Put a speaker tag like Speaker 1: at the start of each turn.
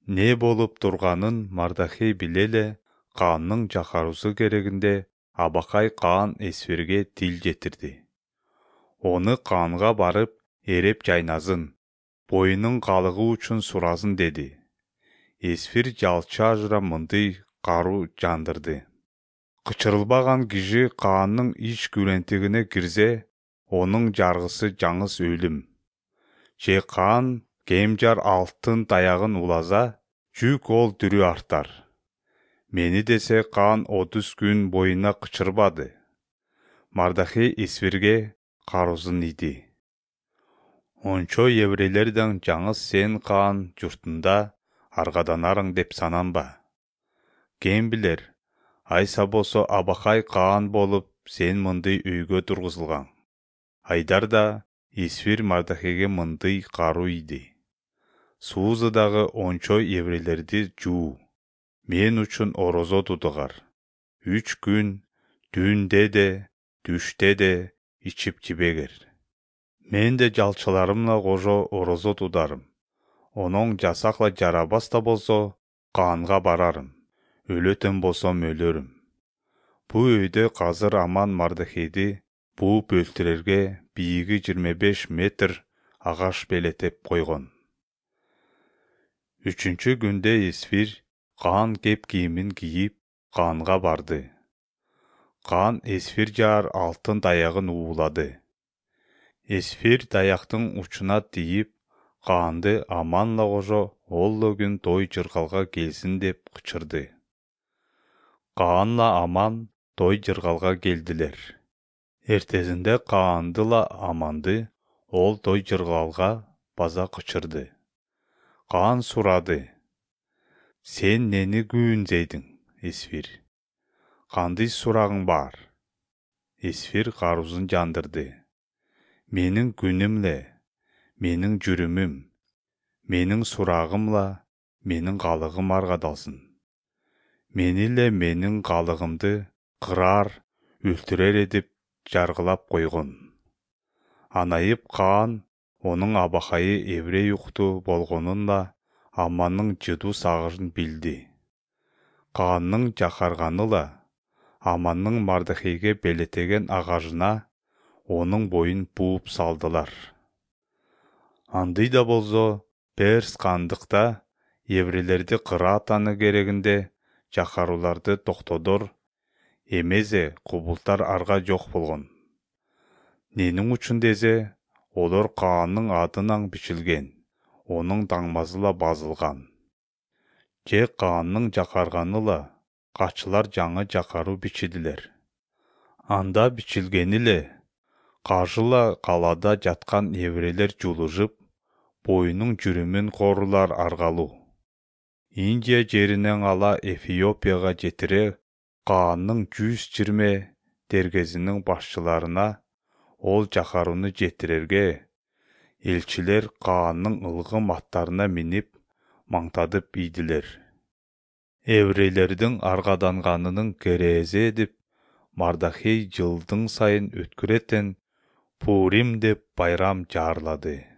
Speaker 1: Не болуп турганын Мардахей биле эле, Каандын жакаруусу керегинде Абакай Каан Эсфирге тил жетирди. Оны Каанга барып, эреп жайназын, боюнун калыгы үчүн суразын деди. Эсфир жалчы ажыра мындай кару жандырды. Кычырылбаган киши Каандын ич күрөntүгүнө кирсе, онун жаргысы жаңыс өлүм. Же Каан кемжар алтын таягын уласа, жүк ол дүрү артар. Мени десе Каан 30 күн боюна кычырбады. Мардахей Эсфирге карузун иди. Ончо еврейлерден жаңыс сен Каан журтунда аргаданарың деп сананба. Кем билер, айса болсо Абакай Каан болуп, сен мындай өйгө тургузулган. Айдарда Эсфир Мардахейге мындай кару иди. Суузадагы ончо еврейлерди жуу. Мен үчүн орозо тутугар. 3 күн түндө де, түштө де ичип жибегер. Мен де жалчыларымла кошо орозо тутарым. Онун жасакла жарабас да болсо, Каанга барарым. Өлөтөн болсом өлөрүм. Бу өйдө казыр Аман Мардахейди бууп өлтүрөргө бийиги 25 метр агаш белетеп койгон. 3-чү күндө Эсфир Каан кеп кийимин кийип, Каанга барды. Каан Эсфир жаар алтын таягын уулады. Эсфир таяктын учуна тийип, Каанды Аманла кошо олло күн той жыргалга келсин деп кычырды. Каанла Аман той жыргалга келдилер. Эртесинде Каандыла Аманды ол той жыргалга база кычырды. Каан сурады: Сен нени күбүнзейдиң, Эсфир? Кандай сурагың бар? Эсфир карузун жандырды. Менин күнүмле, менин жүрүмүм, менин сурагымла менин калыгым аргадалсын. Мениле менин калыгымды кырар, өлтүрөр деп жаргылап койгон. Анайып Каан онун абакайы еврей укту болгонунда Аманның жыдуу сагышын билди. Каанның жакарганыла Аманның Мардахейге белетеген агажына онун боюн бууп салдылар. Андай да болсо, Перс кандыкта еврейлерди кыра атаны керегинде жакаруларды токтодор эмезе кубултар арга жок болгон. Ненин үчүн десе, олар Каанның адынан бичилген, онун таңмасыла базылган. Же Каанның жакарганыла качылар жаңы жакаруу бичидилер. Анда бичилгениле кажыла калада жаткан еврейлер жулужуп, боюнун жүрүмүн корулар аргалуу. Индия жеринен ала Эфиопияга жетире Каанның 120 дергезинин башчыларына ол жакарууну жетирерге элчилер Каанның ылгым аттарына минип маңтадып ийдилер. Еврейлердин аргаданганынын керээзи деп Мардахей жылдың сайын өткүрөтен Пурим деп байрам жаарлады.